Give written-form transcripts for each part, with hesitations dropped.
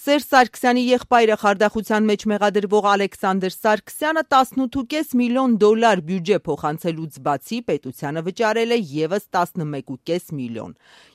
Սերժ Սարգսյանի եղբայրը խարդախության մեջ մեղադրվող Ալեքսանդր Սարգսյանը 18.5 միլիոն դոլար բյուջե փոխանցելուց բացի պետությանը վճարել է ևս 11.5 միլիոն։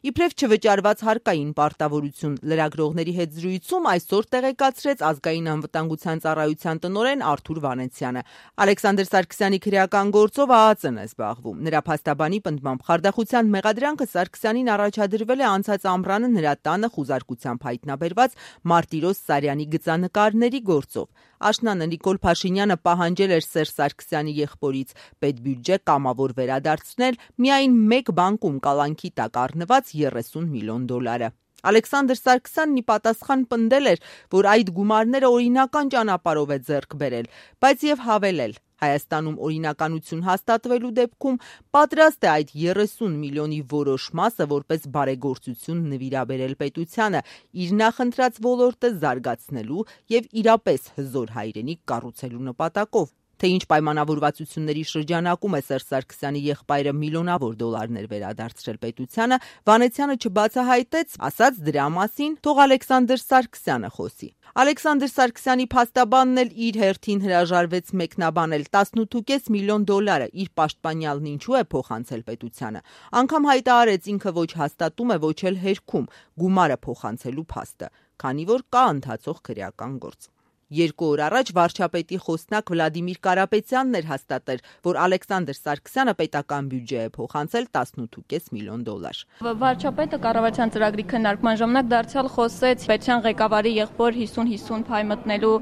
Իբրև չվճարված հարկային պարտավորություն լրագրողների հետ զրույցում այսօր տեղեկացրեց Ազգային անվտանգության ծառայության տնօրեն Արթուր Վանեցյանը։ Ալեքսանդր Սարգսյանի քրեական գործով ԱԱԾ-ն է զբաղվում։ Նրա փաստաբանի պնդմամբ խարդախության մեղադրանքը Սարգսյանին առաջադրվել է անցած ամռանը նրա տանը խուզարկությամբ հայտնաբերված Մարտիրոս Սարյանի գծանկարների գործով։ Աշնանը Նիկոլ Փաշինյանը պահանջել էր Սերժ Սարգսյանի եղբորից պետբյուջե կամավոր վերադարձնել միայն մեկ բանկում կալանքի տակ առնված 30 միլիոն դոլարը։ Ալեքսանդր Սարգսյանն ի պատասխան պնդել էր, որ այդ գումարները օրինական ճանապարհով է ձեռք բերել, բայց եւ հավելել. Հայաստանում օրինականություն հաստատվելու դեպքում պատրաստ է այդ 30 միլիոնի որոշ մասը որպես բարեգործություն նվիրաբերել պետությանը, իր նախընտրած ոլորտը զարգացնելու եւ իրապես հզոր հայրենիք կառուցելու նպատակով։ Թե ինչ պայմանավորվածությունների շրջանակում է Սերժ Սարգսյանի եղբայրը միլիոնավոր դոլարներ վերադարձրել պետությանը, Վանեցյանը չբացահայտեց, ասաց դրա մասին թող Ալեքսանդր Սարգսյանը խոսի։ Ալեքսանդր Սարգսյանի փաստաբանն էլ իր հերթին հրաժարվեց մեկնաբանել 18.5 միլիոն դոլարը իր պաշտպանյալն ինչու է փոխանցել պետությանը։ Անգամ հայտարարեց ինքը ոչ հաստատում է, ոչ էլ հերքում գումարը փոխանցելու փաստը, քանի որ կա ընթացող քրեական գործ։ 2 օր առաջ վարչապետի խոսնակ Վլադիմիր Կարապետյանն էր հաստատել, որ Ալեքսանդր Սարգսյանը պետական բյուջե է փոխանցել 18.5 միլիոն դոլար։ Վարչապետը կառավարության ծրագրի քննարկման ժամանակ դարձյալ խոսեց պետության ղեկավարի եղբոր 50-50 փայ մտնելու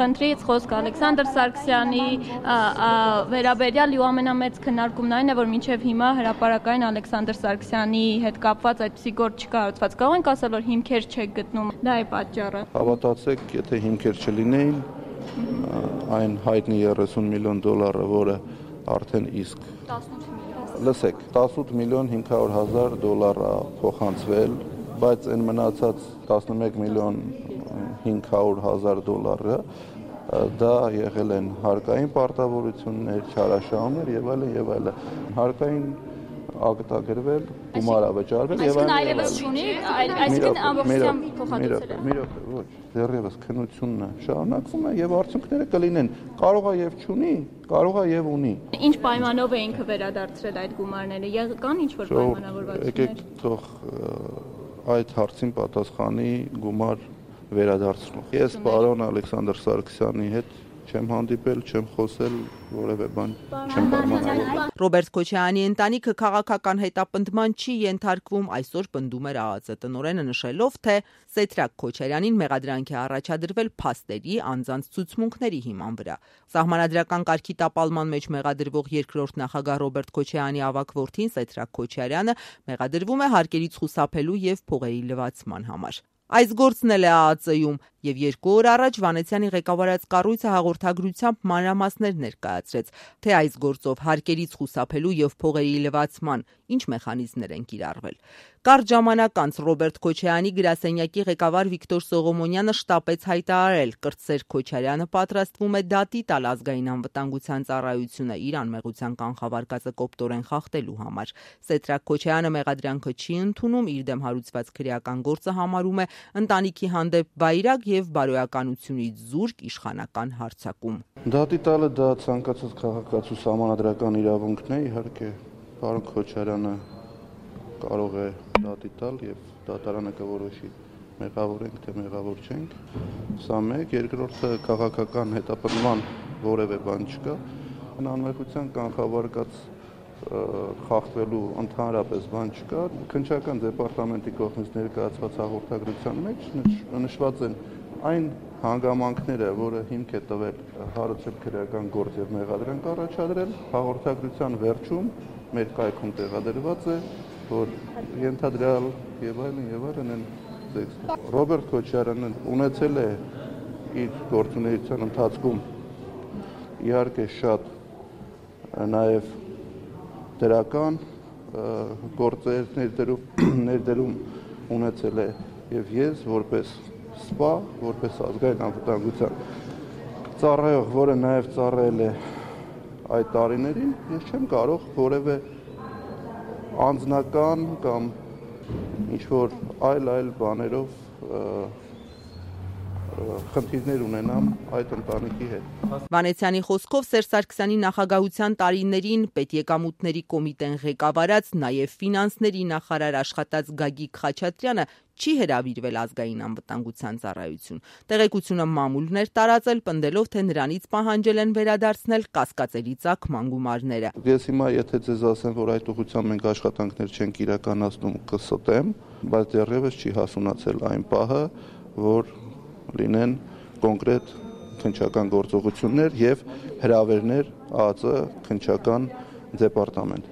խնդրից, խոսք Ալեքսանդր Սարգսյանի վերաբերյալ ու ամենամեծ քննարկումն այն է, որ մինչև հիմա հրապարակային Ալեքսանդր Սարգսյանի հետ կապված այդպիսի գործ չկարողացված։ Կարող ենք ասել, որ հիմքեր չեք գտնում, դա է պատճառը։ Հավատացեք, եթե հիմքեր չլինեին, այն հայտնի 30 միլիոն դոլարը, որը արդեն իսկ 18 միլիոն։ Լսեք, 18 միլիոն 500 հազար դոլար է փոխանցվել, բայց այն մնացած 11 միլիոն 500 հազար դոլարը դա եղել են հարկային պարտավորություններ, չարաշահումներ եւ այլն եւ այլն։ Հարկային ակտագրվել, գումար ավճարվել եւ այլն։ Այլևս չունի, այսինքն ամբողջությամբ փոխհատուցել է։ Ոչ, դեռևս քննությունն է շարունակվում է եւ արդյունքները կլինեն։ Կարող է եւ չունի, կարող է եւ ունի։ Ինչ պայմանով է ինքը վերադարձրել այդ գումարները։ Կան ինչ որ պայմանավորվածություններ։ Եկեք թող այդ հարցին պատասխանի գումար վերադարձնող։ Ես պարոն Ալեքսանդր Սարգսյանի հետ չեմ հանդիպել, չեմ խոսել, որևէ բան չեմ պայմանավորել։ Ռոբերտ Քոչարյանի ընտանիքը քաղաքական հետապնդման չի ենթարկվում, այսօր պնդում էր ԱԱԾ տնօրենը, նշելով, թե Սեդրակ Քոչարյանին մեղադրանք է առաջադրվել փաստերի, անձանց ցուցմունքների հիման վրա։ Սահմանադրական կարգի տապալման մեջ մեղադրվող երկրորդ նախագահ Ռոբերտ Քոչարյանի ավագ որդին Սեդրակ Քոչարյանը մեղադրվում է հարկերից խուսափելու եւ փողերի լվացման համար։ Այս գործն էլ է ԱԱԾ-ում եւ 2 օր առաջ Վանեցյանի ղեկավարած կառույցը հաղորդագրությամբ մանրամասներ ներկայացրեց, թե այս գործով հարկերից խուսափելու եւ փողերի լվացման ինչ մեխանիզմներ են կիրառվել։ Կարճ ժամանակ անց Ռոբերտ Քոչարյանի գրասենյակի ղեկավար Վիկտոր Սողոմոնյանը շտապեց հայտարարել, կրտսեր Քոչարյանը պատրաստվում է դատի տալ Ազգային անվտանգության ծառայությունը իր անմեղության կանխավարկածը կոպտորեն խախտելու համար։ Սեդրակ Քոչարյանը մեղադրանքը չի ընդունում, իր դեմ հարուցված քրեական գործը համարում է ընտանիքի հանդեպ վայրագ եւ բարոյականությունից զուրկ իշխանական հարձակում։ Դատի տալը դա ցանկացած քաղաքացու սահմանադրական իրավունքն է, իհարկե, պարոն Քոչարյանը կարող է դատի տալ եւ դատարանը կորոշի մեղավոր ենք թե մեղավոր չենք։ Սա մեկ, երկրորդը քաղաքական հետապնդման որևէ բան չկա։ Անմեղության կանխավարկած խախտվելու ընդհանրապես բան չկա։ Քննչական դեպարտամենտի կողմից ներկայացված հաղորդագրության մեջ նշված են այն հանգամանքները, որը հիմք է տվել հարուցել քրեական գործ եւ մեղադրանք առաջադրել, հաղորդագրության վերջում մեր կայքում տեղադրված է, որ ենթադրյալ եւ այլն են տեքստը։ Ռոբերտ Քոչարյանը ունեցել է իր գործունեության ընթացքում իհարկե շատ նաեւ դրական գործեր ներդրում ունեցել է եւ ես որպես սպա, որպես ազգային անվտանգության ծառայող, որը նաեւ ծառայել է այդ տարիներին, ես չեմ կարող որևէ անձնական կամ ինչ որ այլ բաներով խնդիրներ ունենամ այդ ընտանիքի հետ։ Վանեցյանի խոսքով Սերժ Սարգսյանի նախագահության տարիներին պետեկամուտների կոմիտեն ղեկավարած, նաև ֆինանսների նախարար աշխատած Գագիկ Խաչատրյանը չի հրավիրվել ազգային անվտանգության ծառայություն։ Տեղեկությունը մամուլն էր տարածել, պնդելով, թե նրանից պահանջել են վերադարձնել կասկածելի ծագման գումարները։ Ես հիմա եթե ձեզ ասեմ, որ այդ ուղղությամբ մենք աշխատանքներ չենք իրականացնում, կստեմ, բայց դեռևս չի հասունացել այն պահը, որ լինեն կոնկրետ քննչական գործողություններ եւ հրավերներ ԱԱԾ քննչական դեպարտամենտ։